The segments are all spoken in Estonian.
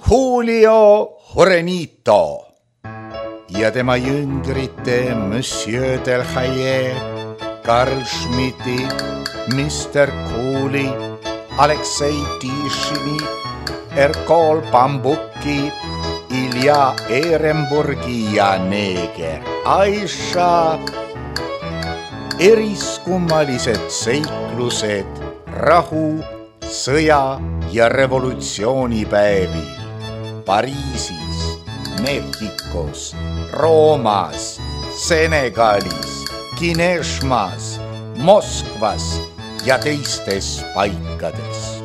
Julio Jurenito ja tema jüngrite Monsieur Delhaye, Karl Schmidti, Mr. Cooli, Aleksei Tišini, Erkol Bambuki, Ilja Ehrenburgi ja neeger Aisha. Eriskummalised seiklused rahu, sõja ja revolutsioonipäevil Pariisis, Mehhikos, Roomas, Senegalis, Kineshmas, Moskvas ja teistes paikades.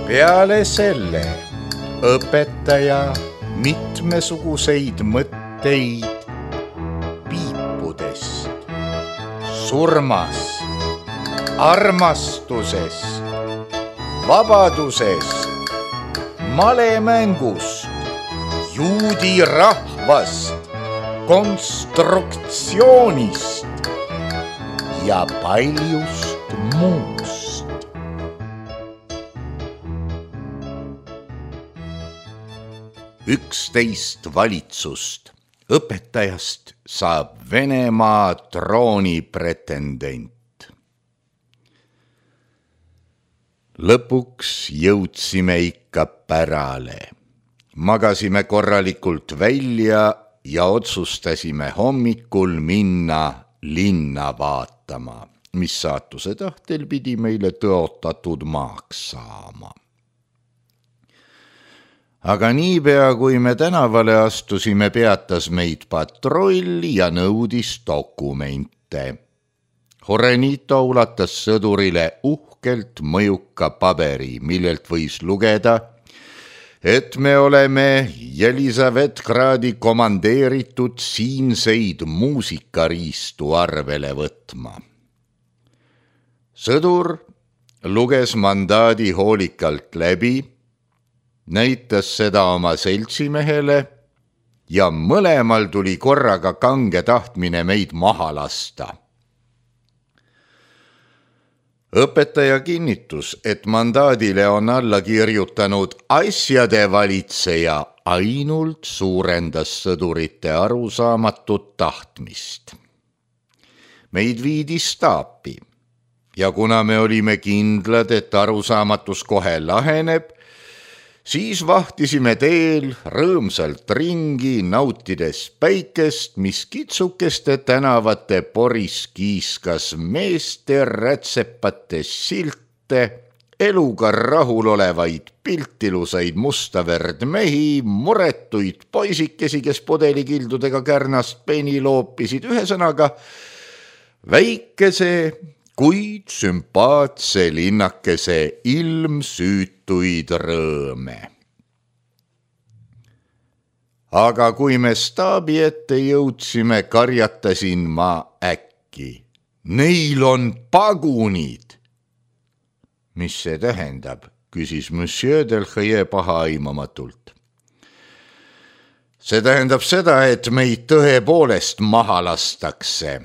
Peale selle õpetaja mitmesuguseid mõtteid piipudest, surmast, armastusest, vabadusest, malemängust, juudi rahvast, konstruktsioonist ja paljust muust. 11 valitsust õpetajast saab Venemaa trooni pretendent. Lõpuks jõudsime ikka pärale. Magasime korralikult välja ja otsustasime hommikul minna linna vaatama, mis saatuse tahtel pidi meile tõotatud maaks saama. Aga niipea, kui me tänavale astusime, peatas meid patrull ja nõudis dokumente. Jurenito ulatas sõdurile uhkelt mõjuka paberi, millelt võis lugeda, et me oleme Jelisavetgradi komandeeritud siinseid muusikariistu arvele võtma. Sõdur luges mandaadi hoolikalt läbi, näitas seda oma seltsimehele ja mõlemal tuli korraga kange tahtmine meid maha lasta. Õpetaja kinnitus, et mandaadile on alla kirjutanud asjade valitseja, ainult suurendas sõdurite arusaamatut tahtmist. Meid viidi staapi ja kuna me olime kindlad, et arusaamatus kohe laheneb, siis vahtisime teel rõõmsalt ringi, nautides päikest, mis kitsukeste tänavate poris kiiskas meeste rätsepate silte, eluga rahul olevaid piltilusaid mustaverd mehi, muretuid poisikesi, kes pudelikildudega kärnast peni loopisid, ühesõnaga väikese, kuid sümpaatse linnakese ilmsüütuid rõõme. Aga kui me staabi ette jõudsime, karjatasin ma äkki. Neil on pagunid! Mis see tähendab, küsis Monsieur Delhaye pahaaimamatult. See tähendab seda, et meid tõepoolest maha lastakse.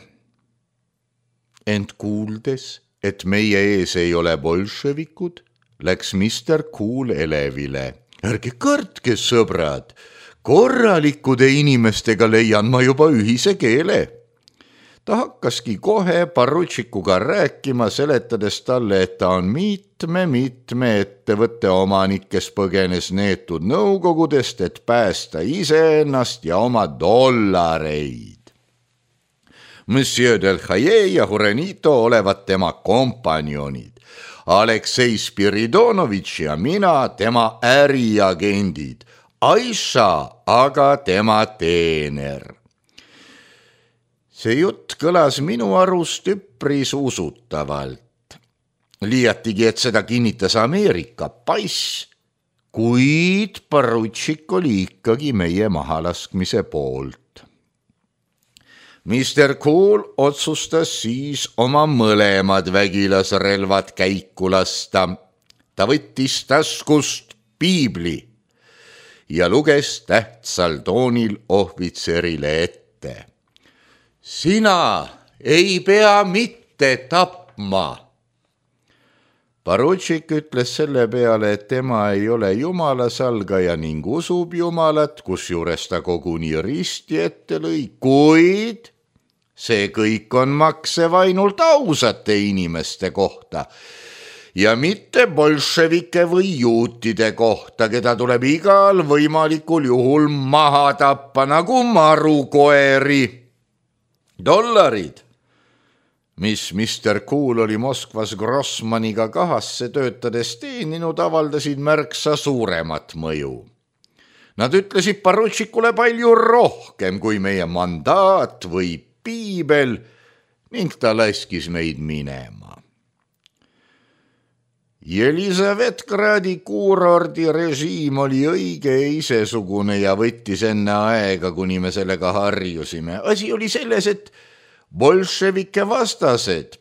Ent kuuldes, et meie ees ei ole bolševikud, läks Mr. Cool elevile. Ärge kartke, sõbrad, korralikude inimestega leian ma juba ühise keele. Ta hakkaski kohe parutšikuga rääkima, seletades talle, et ta on mitme ettevõtte omanik, kes põgenes neetud nõukogudest, et päästa iseennast ja oma dollareid. Monsieur Delhaye ja Jurenito olevat tema kompanjonid, Aleksei Spiridonovitš ja mina tema äriagendid, Aisha aga tema teener. See jutt kõlas minu arust üpris usutavalt. Liiatigi, et seda kinnitas Ameerika pass, kuid parutšik oli ikkagi meie mahalaskmise poolt. Mr. Cool otsustas siis oma mõlemad vägilasrelvad käiku lasta. Ta võttis taskust piibli ja luges tähtsal toonil ohvitserile ette. Sina ei pea mitte tapma. Porutšik ütles selle peale, et tema ei ole jumala salgaja ning usub jumalat, kusjuures ta koguni risti ette lõi, kuid see kõik on maksev ainult ausate inimeste kohta ja mitte bolševike või juutide kohta, keda tuleb igal võimalikul juhul maha tappa nagu marukoeri. $, mis Mr. Cool oli Moskvas Grossmaniga kahasse töötades teeninud, avaldasid märksa suuremat mõju. Nad ütlesid porutšikule palju rohkem kui meie mandaat või piibel ning ta laskis meid minema. Jelisavetgradi kuurordi režiim oli õige isesugune ja võttis enne aega, kuni me sellega harjusime. Asi oli selles, et bolševike vastased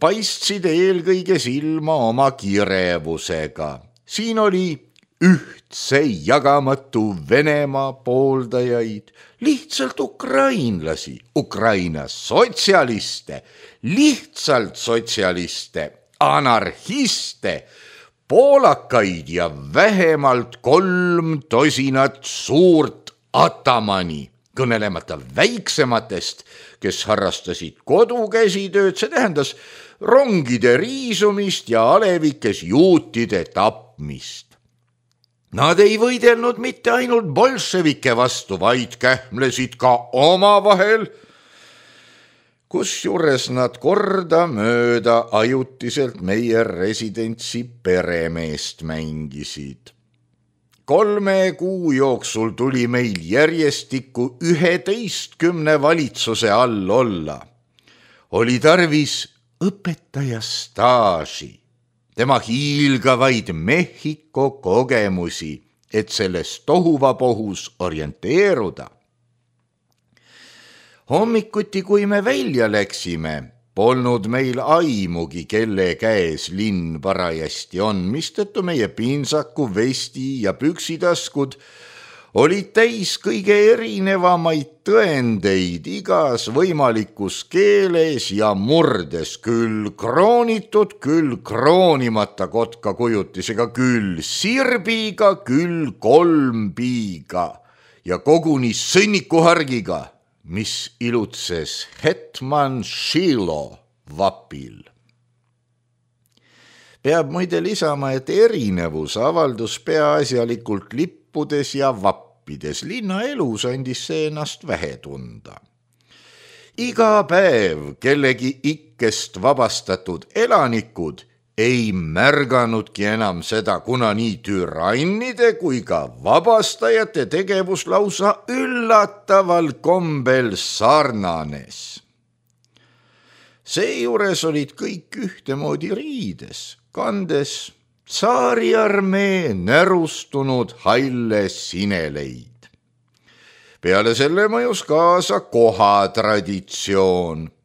paistsid eelkõige silma oma kirevusega. Siin oli ühtse jagamatu Venemaa pooldajaid, lihtsalt ukrainlasi, Ukraina sotsialiste, lihtsalt sotsialiste, anarhiste, poolakaid ja vähemalt 3 tosinat suurt atamani, kõnelemata väiksematest, kes harrastasid kodukäsitööd, see tähendas rongide riisumist ja alevikes juutide tapmist. Nad ei võidelnud mitte ainult bolševike vastu, vaid kähmlesid ka omavahel, kusjuures nad kordamööda ajutiselt meie residentsi peremeest mängisid. 3 kuu jooksul tuli meil järjestikku 11 valitsuse all olla. Oli tarvis õpetaja staaži, tema hiilgavaid Mehhiko kogemusi, et selles tohuvapohus orienteeruda. Hommikuti, kui me välja läksime, polnud meil aimugi, kelle käes linn parajasti on, mistõttu meie pintsaku, vesti ja püksitaskud olid täis kõige erinevamaid tõendeid igas võimalikus keeles ja murdes, küll kroonitud, küll kroonimata kotka kujutisega, küll sirbiga, küll 3 piiga ja koguni sõnnikuhargiga, mis ilutses Hetman Šilo vapil. Peab muide lisama, et erinevus avaldus peaasjalikult lippudes ja vappides. Linnaelus andis see ennast vähe tunda. Iga päev kellegi ikkest vabastatud elanikud ei märganudki enam seda, kuna nii türannide kui ka vabastajate tegevus lausa üllataval kombel sarnanes. Seejuures olid kõik ühtemoodi riides, kandes tsaariarmee närustunud halle sineleid. Peale selle mõjus kaasa kohatraditsioon.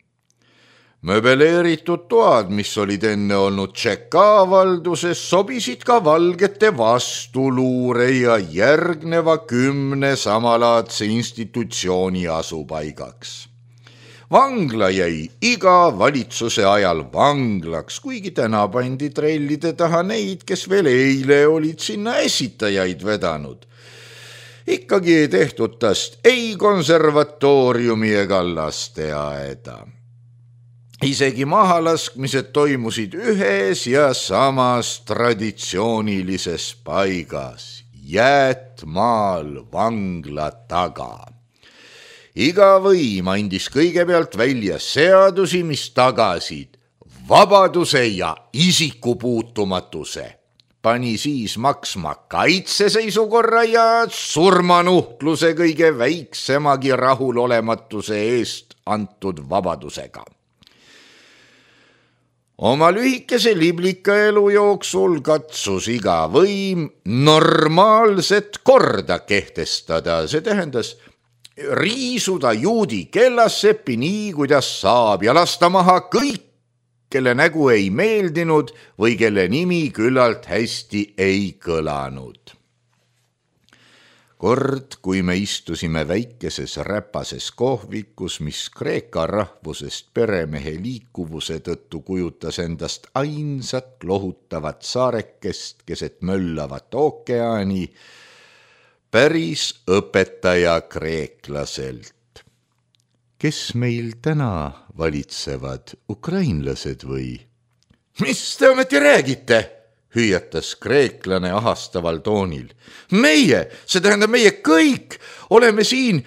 Möbeleeritud toad, mis olid enne olnud Tšeka valduses, sobisid ka valgete vastuluure ja järgneva 10 samalaadse institutsiooni asupaigaks. Vangla jäi iga valitsuse ajal vanglaks, kuigi täna pandi trellide taha neid, kes veel eile olid sinna esitajaid vedanud. Ikkagi ei tehtud tast ei konservatooriumi ega lasteaeda. Isegi mahalaskmised toimusid ühes ja samas traditsioonilises paigas, Jäätmaal vangla taga. Iga võim andis kõigepealt välja seadusi, mis tagasid vabaduse ja isikupuutumatuse. Pani siis maksma kaitseseisukorra ja surmanuhtluse kõige väiksemagi rahulolematuse eest antud vabadusega. Oma lühikese liblika elu jooksul katsus iga võim normaalset korda kehtestada, see tähendas riisuda juudi kellassepi nii, kuidas saab ja lasta maha kõik, kelle nägu ei meeldinud või kelle nimi küllalt hästi ei kõlanud. Kord, kui me istusime väikeses räpases kohvikus, mis Kreeka rahvusest peremehe liikuvuse tõttu kujutas endast ainsat lohutavat saarekest keset möllavat ookeani, päris õpetaja kreeklaselt. Kes meil täna valitsevad, ukrainlased või? Mis te ometi räägite? Hüüatas kreeklane ahastaval toonil. Meie, see tähendab meie kõik, oleme siin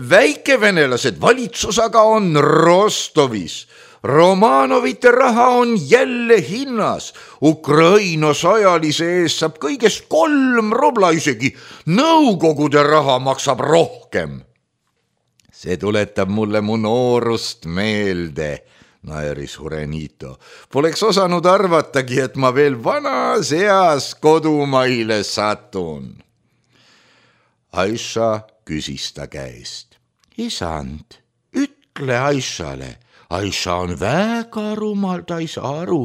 väikevenelased, valitsus aga on Rostovis. Romanovite raha on jälle hinnas. Ukraina sajalise eest saab kõigest 3 rubla, isegi nõukogude raha maksab rohkem. See tuletab mulle mu noorust meelde, naeris Hurenito. Poleks osanud arvatagi, et ma veel vanas eas kodumaile satun. Aisha küsis ta käest. Isand, ütle Aishale. Aisha on väga rumal, ta ei saa aru,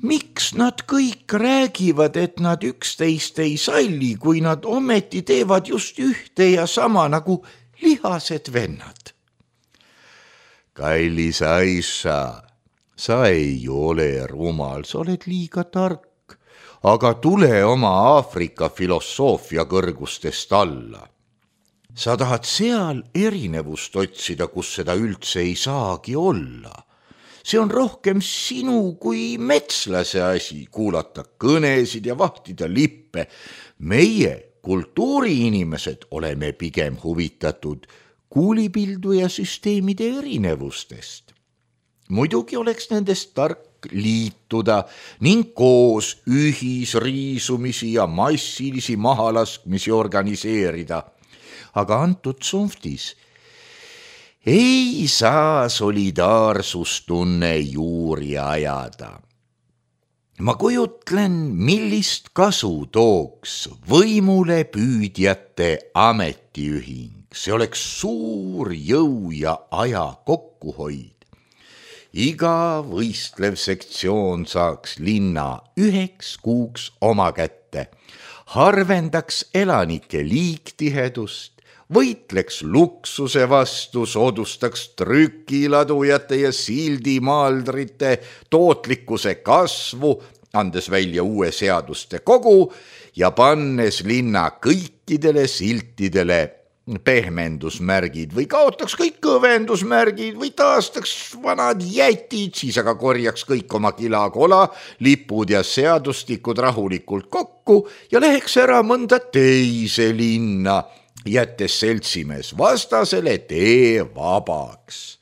miks nad kõik räägivad, et nad üksteist ei salli, kui nad ometi teevad just ühte ja sama nagu lihased vennad. Kallis Aisha, sa ei ole rumal, sa oled liiga tark, aga tule oma Aafrika filosoofia kõrgustest alla. Sa tahad seal erinevust otsida, kus seda üldse ei saagi olla. See on rohkem sinu kui metslase asi, kuulata kõnesid ja vahtida lippe. Meie, kultuuriinimesed, oleme pigem huvitatud kuulipildu ja süsteemide erinevustest. Muidugi oleks nendest tark liituda ning koos ühisriisumisi ja massilisi mahalaskmisi organiseerida. Aga antud tsunftis ei saa solidaarsustunne juuri ajada. Ma kujutlen, millist kasu tooks võimule püüdjate ametiühing. See oleks suur jõu ja aja kokkuhoid. Iga võistlev sektsioon saaks linna 1 kuuks oma kätte, harvendaks elanike liiktihedust, võitleks luksuse vastu, soodustaks trükiladujate ja sildimaaldrite tootlikkuse kasvu, andes välja uue seaduste kogu ja pannes linna kõikidele siltidele pehmendusmärgid või kaotaks kõik kõvendusmärgid või taastaks vanad jätid, siis aga korjaks kõik oma kilakola, lipud ja seadustikud rahulikult kokku ja läheks ära mõnda teise linna, jättes seltsimees vastasele tee vabaks.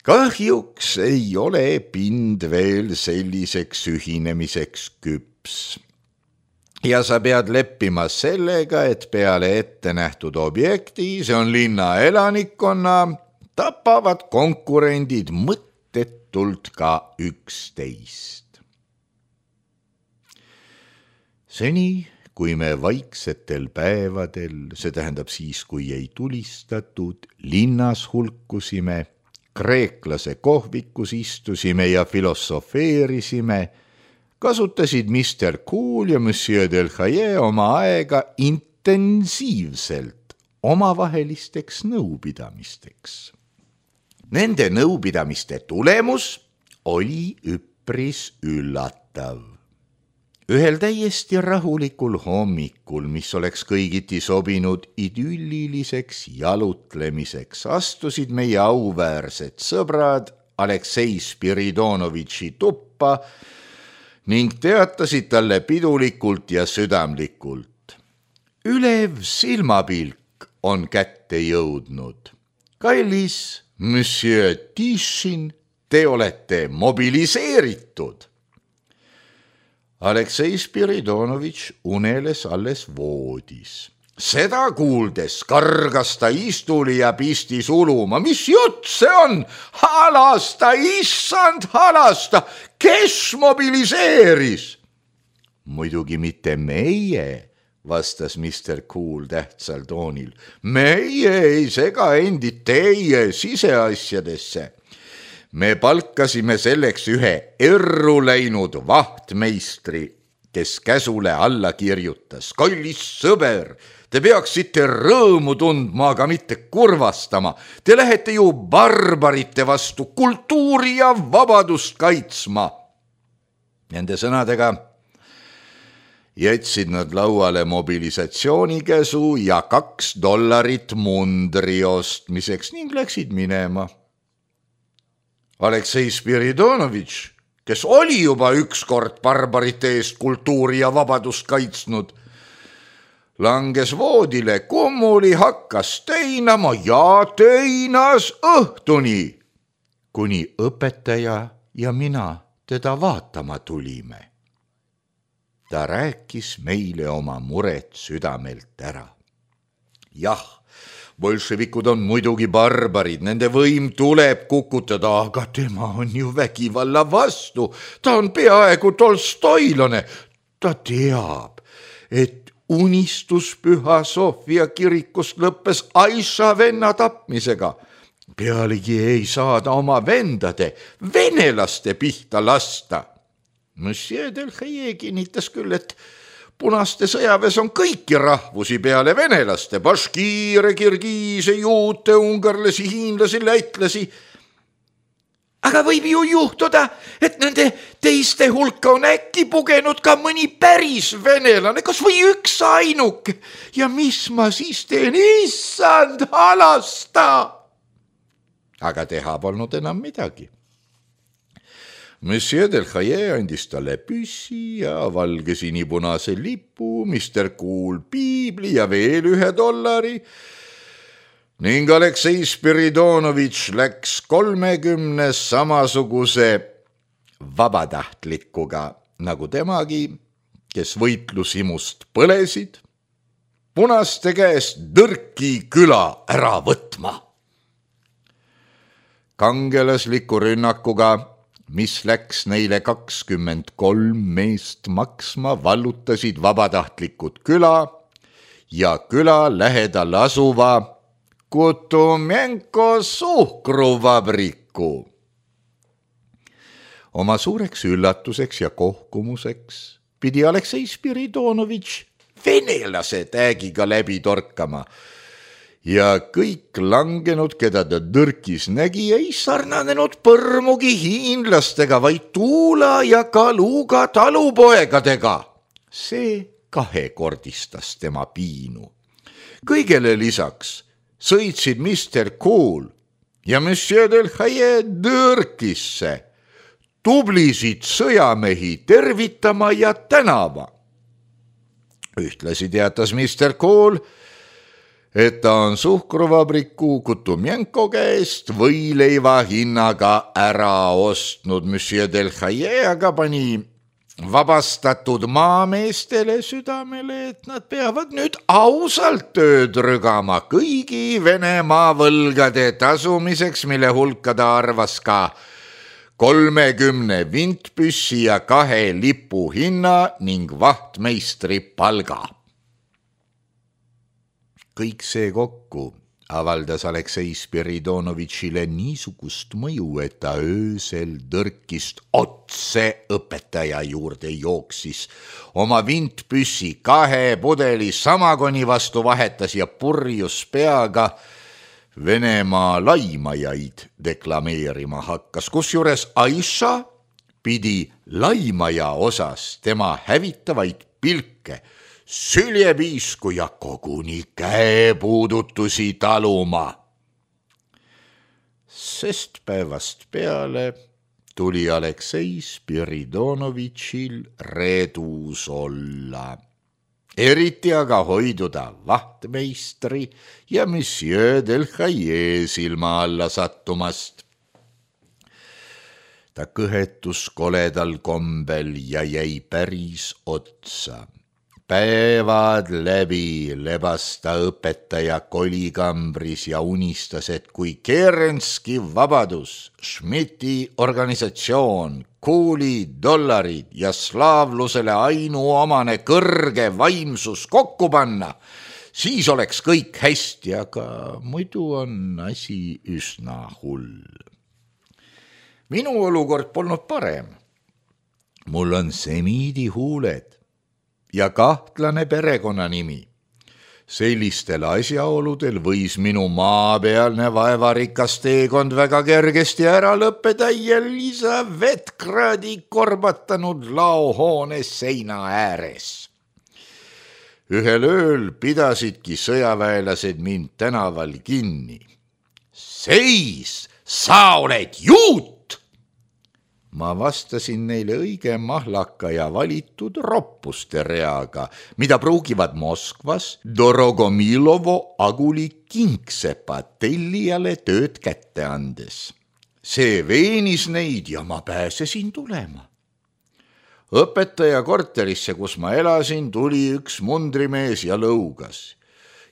Kahjuks ei ole pind veel selliseks ühinemiseks küps. Ja sa pead leppima sellega, et peale ette nähtud objekti, see on linna elanikkonna, tapavad konkurendid mõttetult ka üksteist. Seni, kui me vaiksetel päevadel, see tähendab siis, kui ei tulistatud, linnas hulkusime, kreeklase kohvikus istusime ja filosofeerisime, kasutasid Mr. Cool ja Monsieur Delhaye oma aega intensiivselt omavahelisteks nõupidamisteks. Nende nõupidamiste tulemus oli üpris üllatav. Ühel täiesti rahulikul hommikul, mis oleks kõigiti sobinud idülliliseks jalutlemiseks, astusid meie auväärsed sõbrad Aleksei Spiridonovitši tuppa ning teatasid talle pidulikult ja südamlikult. Ülev silmapilk on kätte jõudnud. Kallis Monsieur Tishin, te olete mobiliseeritud. Aleksei Spiridonovitš uneles alles voodis. Seda kuuldes kargas ta istuli ja pistis uluma. Mis jutt see on? Halasta, issand, halasta! Kes mobiliseeris? Muidugi mitte meie, vastas Mr. Cool tähtsal toonil. Meie ei sega endid teie siseasjadesse. Me palkasime selleks ühe erru läinud vahtmeistri, kes käsule alla kirjutas. Kallis sõber, te peaksite rõõmu tundma, aga mitte kurvastama. Te lähete ju barbarite vastu kultuuri ja vabadust kaitsma. Nende sõnadega jätsid nad lauale mobilisatsioonikäsu ja $2 mundri ostmiseks ning läksid minema. Aleksei Spiridonovitš, kes oli juba ükskord barbarite eest kultuuri ja vabadust kaitsnud, langes voodile, kummuli hakkas teinama ja teinas õhtuni, kuni õpetaja ja mina teda vaatama tulime. Ta rääkis meile oma muret südamelt ära. Jah, bolševikud on muidugi barbarid, nende võim tuleb kukutada, aga tema on ju vägivalla vastu. Ta on peaaegu tolstoilane. Ta teab, et unistus Püha Sofia kirikust lõppes Aiša venna tapmisega. Pealegi ei saa ta oma vendade, venelaste pihta lasta. Monsieur Delhaye kinnitas küll, et punaste sõjaväes on kõiki rahvusi peale venelaste, baškiire, kirgiise, juute, ungarlasi, hiinlasi, lätlasi. Aga võib ju juhtuda, et nende teiste hulka on äkki pugenud ka mõni päris venelane, kas või üks ainuke. Ja mis ma siis teen? Issand, halasta! Aga teha polnud enam midagi. Monsieur Delhaye andis talle püssi ja valge sinipunase lipu, Mr. Cool piibli ja veel $1 ning Aleksei Spiridonovitš läks 30 samasuguse vabatahtlikuga nagu temagi, kes võitlusimust põlesid, punaste käest Tõrki küla ära võtma. Kangelasliku rünnakuga, mis läks neile 23 meest maksma, vallutasid vabatahtlikud küla ja küla lähedal asuva Kutumenko suhkruvabriku. Oma suureks üllatuseks ja kohkumuseks pidi Aleksei Spiridonovitš venelase täägiga läbi torkama ja kõik langenud, keda ta Tõrkis nägi, ei sarnanenud põrmugi hiinlastega, vaid Tuula ja Kaluga talupoegadega. See kahekordistas tema piinu. Kõigele lisaks sõitsid Mr. Cool ja Monsieur Delhaye Tõrkisse tublisid sõjamehi tervitama ja tänava. Ühtlasi teatas Mr. Cool, et ta on suhkruvabriku Kutumenko käest võileiva hinnaga ära ostnud. Monsieur Delhaye aga pani vabastatud maameestele südamele, et nad peavad nüüd ausalt tööd rügama kõigi Venemaa võlgade tasumiseks, mille hulka ta arvas ka 30 vintpüssi ja 2 lipu hinna ning vahtmeistri palga. Kõik see kokku avaldas Aleksei Spiridonovitšile niisugust mõju, et ta öösel Tõrkist otse õpetaja juurde jooksis. Oma vintpüssi 2 pudeli samagoni vastu vahetas ja purjus peaga Venemaa laimajaid deklameerima hakkas, kusjuures Aiša pidi laimaja osas tema hävitavaid pilke, süljepiisku ja koguni käepuudutusi taluma. Sest päevast peale tuli Aleksei Spiridonovitšil redus olla. Eriti aga hoiduda vahtmeistri ja Monsieur Delhaye silma alla sattumast. Ta kõhetus koledal kombel ja jäi päris otsa. Päevad läbi lebas ta õpetaja kolikambris ja unistas, et kui Kerenski vabadus, Schmidti organisatsioon, Kooli dollarid ja slaavlusele ainuomane kõrge vaimsus kokku panna, siis oleks kõik hästi, aga muidu on asi üsna hull. Minu olukord polnud parem. Mul on semiidi huuled ja kahtlane perekonnanimi. Sellistel asjaoludel võis minu maapealne vaevarikas teekond väga kergesti ära lõppeda Elisabeth kraadi korbatanud laohoone seina ääres. Ühel ööl pidasidki sõjaväelased mind tänaval kinni. Seis, sa oled juut! Ma vastasin neile õige mahlaka ja valitud roppuste reaga, mida pruugivad Moskvas Dorogomilovo aguli kingsepa tellijale tööd kätte andes. See veenis neid ja ma pääsesin tulema. Õpetaja korterisse, kus ma elasin, tuli üks mundrimees ja lõugas.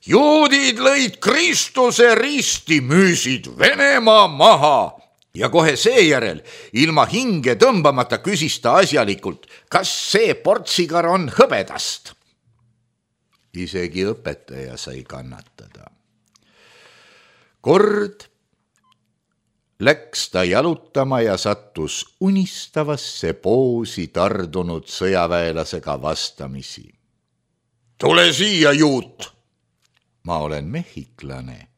Juudid lõid Kristuse risti, müüsid Venemaa maha. Ja kohe seejärel, ilma hinge tõmbamata küsis ta asjalikult, kas see portsikar on hõbedast. Isegi õpetaja sai kannatada. Kord läks ta jalutama ja sattus unistavasse poosi tardunud sõjaväelasega vastamisi. Tule siia, juut! Ma olen mehhiklane.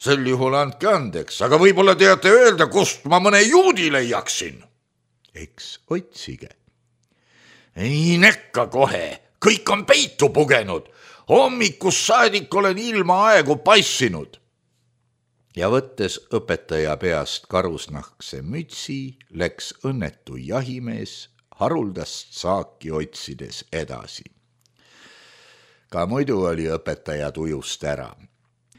Sel juhul andke andeks, aga võib-olla teate öelda, kust ma mõne juudi leiaksin. Eks otsige. Ei nekka kohe, kõik on peitu pugenud. Hommikus saadik olen ilma aegu passinud. Ja võttes õpetaja peast karusnahkse mütsi, läks õnnetu jahimees haruldast saaki otsides edasi. Ka muidu oli õpetaja tujust ära.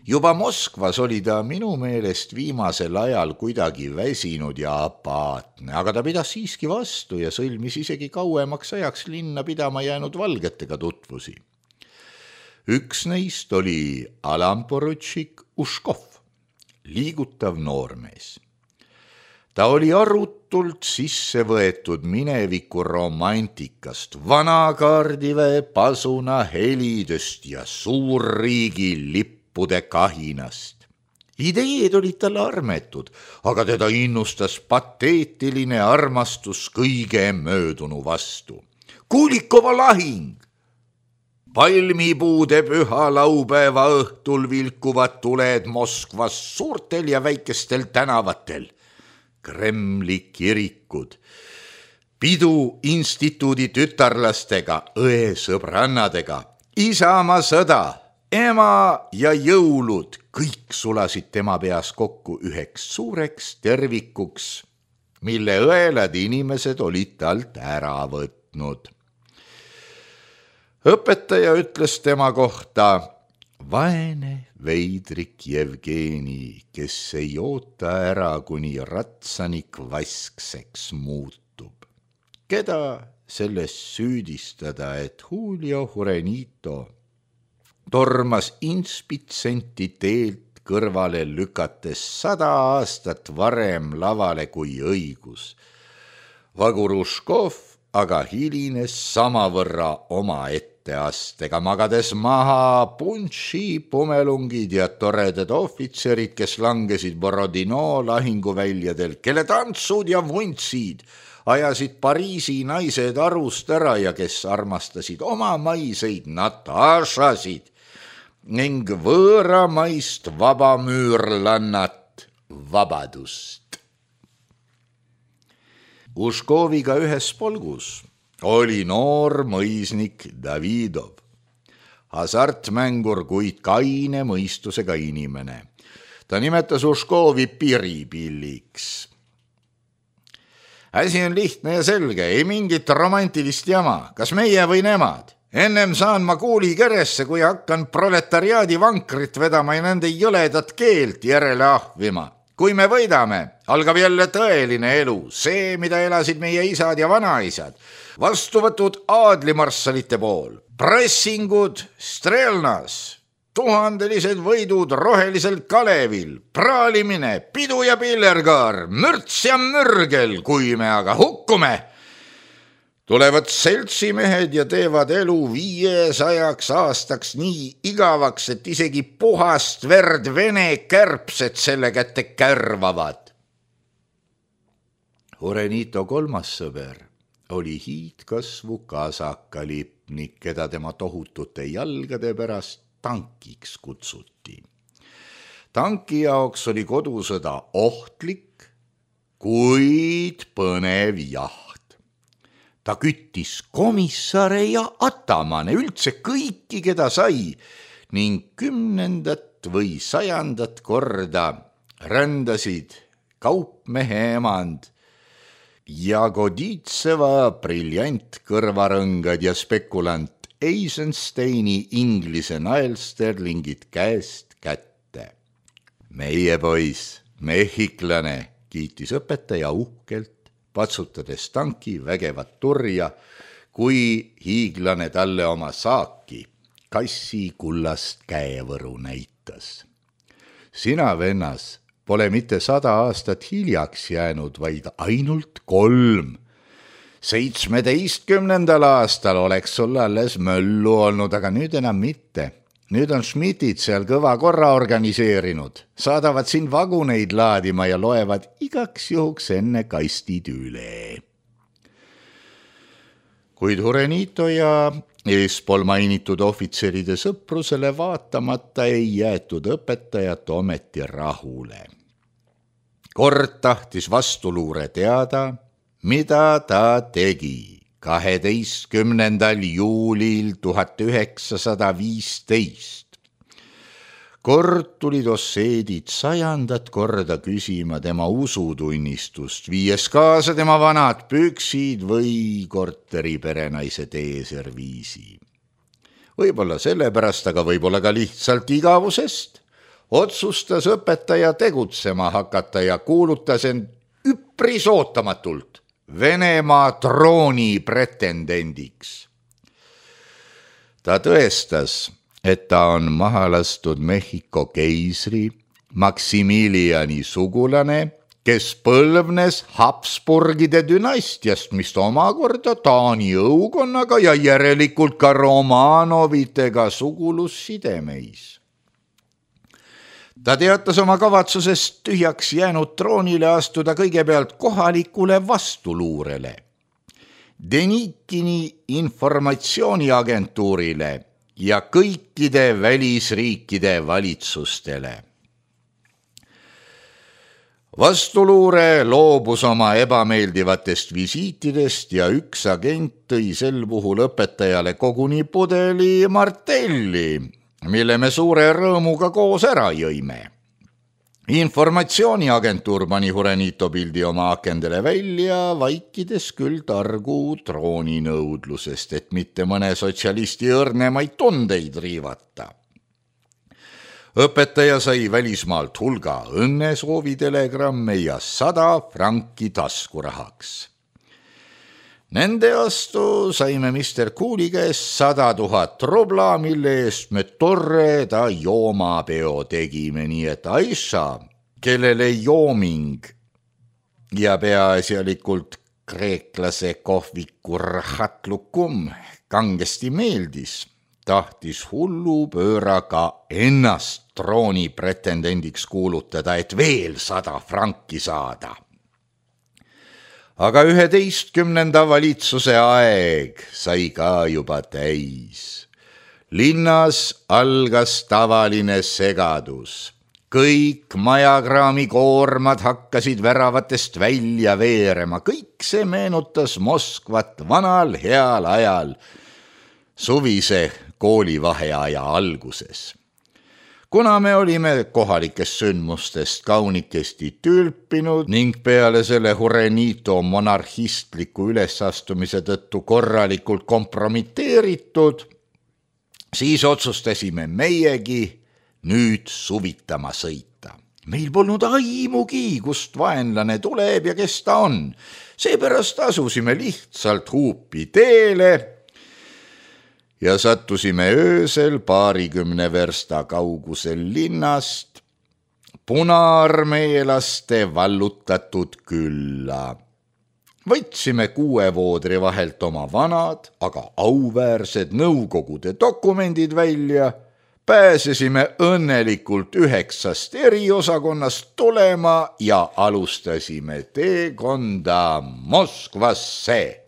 Juba Moskvas oli ta minu meelest viimasel ajal kuidagi väsinud ja apaatne, aga ta pidas siiski vastu ja sõlmis isegi kauemaks ajaks linna pidama jäänud valgetega tutvusi. Üks neist oli alamporutšik Uškov, liigutav noormees. Ta oli arutult sisse võetud mineviku romantikast, vanakaardiväe pasuna helidest ja suurriigi lippude kahinast. Ideed olid tal armetud, aga teda innustas pateetiline armastus kõige möödunu vastu. Kulikova lahing! Palmipuude püha laupäeva õhtul vilkuvad tuled Moskvas suurtel ja väikestel tänavatel. Kremli kirikud, pidu instituudi tütarlastega, õesõbrannadega, Isamaa sõda, ema ja jõulud, kõik sulasid tema peas kokku üheks suureks tervikuks, mille õelad inimesed olid talt ära võtnud. Õpetaja ütles tema kohta, vaene veidrik Jevgeni, kes ei oota ära, kuni ratsanik vaskseks muutub. Keda selles süüdistada, et Julio Jurenito tormas inspitsenti teelt kõrvale lükates 100 aastat varem lavale kui õigus. Vaguruškov aga hilines samavõrra oma etteastega, magades maha punši, pumelungid ja toredad ohvitserid, kes langesid Borodino lahinguväljadel, kelle tantsud ja vuntsid ajasid Pariisi naised arust ära ja kes armastasid omamaiseid Natašasid ning võõramaist vabamüürlannat Vabadust. Uškoviga ühes polgus oli noor mõisnik Davidov, hasartmängur, kuid kaine mõistusega inimene. Ta nimetas Uškovi piripilliks. Asi on lihtne ja selge, ei mingit romantilist jama, kas meie või nemad. Ennem saan ma kuuli keresse, kui hakkan proletariaadi vankrit vedama ja nende jõledat keelt järele ahvima. Kui me võidame, algab jälle tõeline elu, see, mida elasid meie isad ja vanaisad, vastuvõtud aadlimarssalite pool, pressingud Strelnas, tuhandelised võidud rohelisel Kalevil, praalimine, pidu ja pillerkaar, mürts ja mürgel, kui me aga hukkume, tulevad seltsimehed ja teevad elu 500 aastaks nii igavaks, et isegi puhast verd vene kärbsed selle kätte kärvavad. Jurenito kolmas sõber oli hiidkasvu kasakalipnik, keda tema tohutute jalgade pärast tankiks kutsuti. Tanki jaoks oli kodusõda ohtlik, kuid põnev jaht. Ta küttis komissare ja atamane, üldse kõiki, keda sai, ning 10. või 100. korda rändasid kaupmehe emand Jagoditseva briljantkõrvarõngad ja spekulant Eisensteini Inglise naelsterlingid käest kätte. Meie poiss, mehhiklane, kiitis õpetaja uhkelt, patsutades tanki vägevat turja, kui hiiglane talle oma saaki, kassi kullast käevõru näitas. Sina, vennas, pole mitte 100 aastat hiljaks jäänud, vaid ainult 3. 17. aastal oleks sul alles möllu olnud, aga nüüd enam mitte. Nüüd on Schmidtid seal kõva korra organiseerinud, saadavad sind vaguneid laadima ja loevad igaks juhuks enne kastid üle. Kuid Hurenito ja eespool mainitud ohvitseride sõprusele vaatamata ei jäetud õpetajat ometi rahule. Kord tahtis vastuluure teada, mida ta tegi 12. juulil 1915. Kord tulid osseedid 100. korda küsima tema usutunnistust, viies kaasa tema vanad püksid või korteriperenaise teeserviisi. Võib-olla sellepärast, aga võib-olla ka lihtsalt igavusest, otsustas õpetaja tegutsema hakata ja kuulutas end üpris ootamatult Venemaa trooni pretendendiks. Ta tõestas, et ta on maha lastud Mehhiko keisri Maximiliani sugulane, kes põlvnes Habsburgide dünastiast, mis omakorda Taani õukonnaga ja järelikult ka Romanovitega sugulussidemeis. Ta teatas oma kavatsusest tühjaks jäänud troonile astuda kõigepealt kohalikule vastuluurele, Denikini informatsiooniagentuurile ja kõikide välisriikide valitsustele. Vastuluure loobus oma ebameeldivatest visiitidest ja üks agent tõi sel puhul õpetajale koguni pudeli martelli, mille me suure rõõmuga koos ära jõime. Informatsiooniagentuur pani Hurenito pildi oma akendele välja, vaikides küll targu trooninõudlusest, et mitte mõne sotsialisti õrnemaid tundeid riivata. Õpetaja sai välismaalt hulga õnnesoovidelegramme ja 100 franki taskurahaks. Nende vastu saime Mr. Cooli käest 100 000 rubla, mille eest me torreda joomapeo tegime, nii et Aisha, kellele jooming ja peaasjalikult kreeklase kohviku rahatlukum kangesti meeldis, tahtis hullupööraga ennast trooni pretendendiks kuulutada, et veel 100 franki saada. Aga 11. valitsuse aeg sai ka juba täis. Linnas algas tavaline segadus. Kõik majakraami koormad hakkasid väravatest välja veerema. Kõik see meenutas Moskvat vanal heal ajal, suvise koolivaheaja alguses. Kuna me olime kohalikest sündmustest kaunikesti tülpinud ning peale selle Hurenito monarhistliku ülesastumise tõttu korralikult kompromiteeritud, siis otsustasime meiegi nüüd suvitama sõita. Meil polnud aimugi, kust vaenlane tuleb ja kes ta on. Seepärast asusime lihtsalt huupi teele ja sattusime öösel 20 versta kaugusel linnast punaarmeelaste vallutatud külla. Võtsime 6 voodri vahelt oma vanad, aga auväärsed nõukogude dokumendid välja, pääsesime õnnelikult 9 eriosakonnast tulema ja alustasime teekonda Moskvasse.